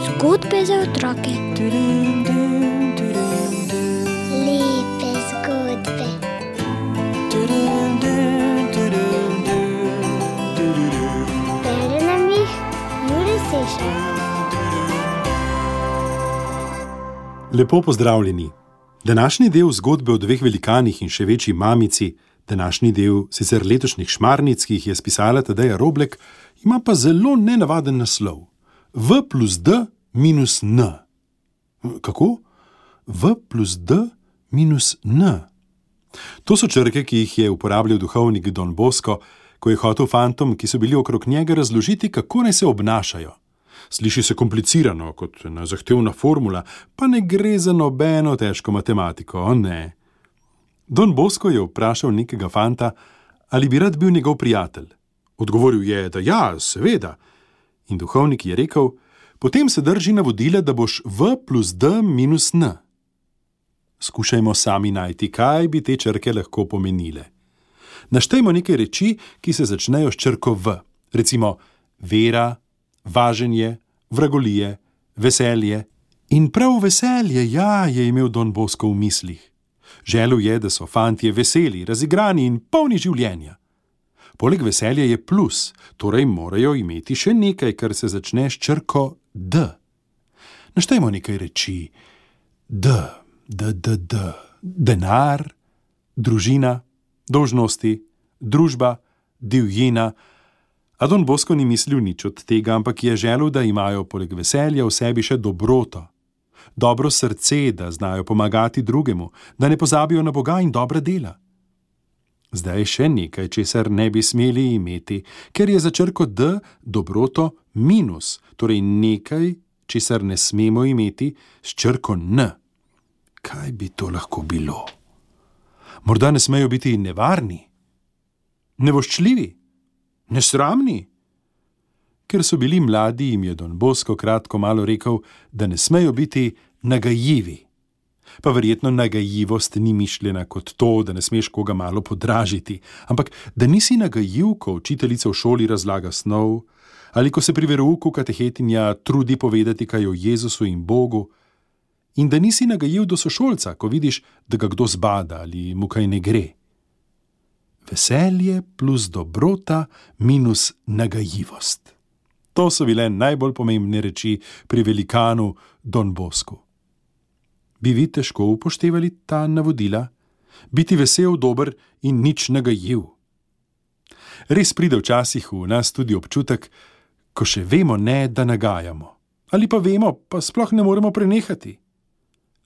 Zgodbe za otroke. Lepe zgodbe. Bere nam jih Jure Sešar. Lepo pozdravljeni. Današnji del zgodbe o dveh velikanih in še večji mamici, današnji del sicer letošnjih Šmarnic, ki jih je spisala Tadeja Roblek, ima pa zelo nenavaden naslov. V plus D minus N. Kako? V plus D minus N. To so črke, ki jih je uporabljal duhovnik Don Bosco, ko je hotel fantom, ki so bili okrog njega, razložiti, kako naj se obnašajo. Sliši se komplicirano, kot ena zahtevna formula, pa ne gre za nobeno težko matematiko, ne. Don Bosco je vprašal nekega fanta, ali bi rad bil njegov prijatelj. Odgovoril je, da ja, seveda. In duhovnik je rekel, potem se drži navodila, da boš V plus D minus N. Skušajmo sami najti, kaj bi te črke lahko pomenile. Naštejmo nekaj reči, ki se začnejo s črko V. Recimo vera, važenje, vragolije, veselje. In prav veselje, ja, je imel Don Bosco v mislih. Želel je, da so fantje veseli, razigrani in polni življenja. Poleg veselja je plus, torej morajo imeti še nekaj, kar se začne s črko D. Naštejmo nekaj reči. D. Denar, družina, dolžnosti, družba, divjina. A Don Bosco ni mislil nič od tega, ampak je želel, da imajo poleg veselja v sebi še dobroto. Dobro srce, da znajo pomagati drugemu, da ne pozabijo na Boga in dobra dela. Zdaj še nekaj, česar ne bi smeli imeti, ker je za črko D dobroto minus, torej nekaj, česar ne smemo imeti s črko N. Kaj bi to lahko bilo? Morda ne smejo biti nevarni, nevoščljivi, nesramni? Ker so bili mladi, jim je Don Bosco kratko malo rekel, da ne smejo biti nagajivi. Pa verjetno nagajivost ni mišljena kot to, da ne smeš koga malo podražiti, ampak da nisi nagajiv, ko učiteljica v šoli razlaga snov, ali ko se pri verouku katehetinja trudi povedati kaj o Jezusu in Bogu, in da nisi nagajiv do sošolca, ko vidiš, da ga kdo zbada ali mu kaj ne gre. Veselje plus dobrota minus nagajivost. To so bile najbolj pomembne reči pri velikanu Don Boscu. Bi vi težko upoštevali ta navodila? Biti vesel, dober in nič nagajiv. Res pride včasih v nas tudi občutek, ko še vemo ne, da nagajamo. Ali pa vemo, pa sploh ne moremo prenehati.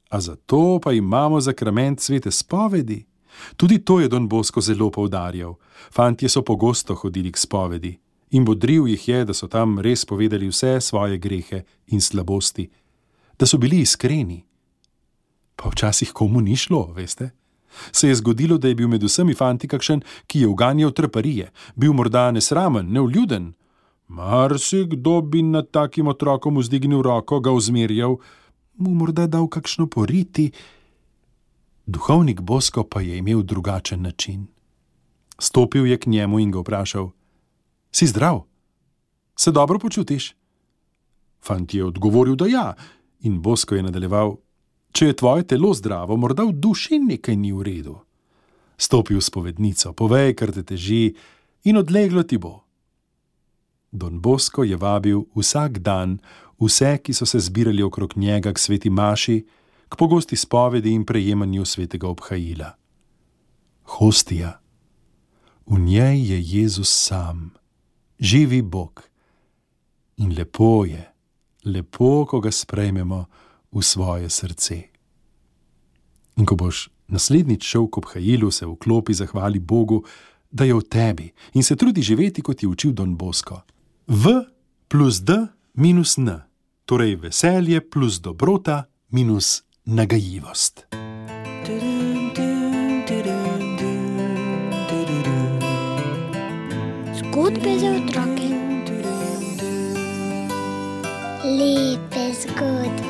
A zato pa imamo zakrament svete spovedi. Tudi to je Don Bosco zelo poudarjal. Fantje so pogosto hodili k spovedi in bodril jih je, da so tam res povedali vse svoje grehe in slabosti, da so bili iskreni. Pa včasih komu ni šlo, veste? Se je zgodilo, da je bil med vsemi fanti kakšen, ki je uganjal traparije, bil morda nesramen, nevljuden. Marsikdo bi nad takim otrokom vzdignil roko, ga uzmerjal, mu morda dal kakšno poriti. Duhovnik Bosco pa je imel drugačen način. Stopil je k njemu in ga vprašal, si zdrav? Se dobro počutiš? Fant je odgovoril, da ja, in Bosco je nadaljeval, če je tvoje telo zdravo, morda v duši nekaj ni v redu. Stopi v spovednico, povej, kar te teži, in odleglo ti bo. Don Bosco je vabil vsak dan vse, ki so se zbirali okrog njega k sveti maši, k pogosti spovedi in prejemanju svetega obhajila. Hostija. V njej je Jezus sam, živi Bog. In lepo je, lepo, ko ga sprejmemo v svoje srce. In ko boš naslednjič šel k obhajilu, se v klopi zahvali Bogu, da je v tebi in se trudi živeti, kot je učil Don Bosco. V plus D minus N, torej veselje plus dobrota minus nagajivost. Zgodbe za otroke. Lepe zgodbe.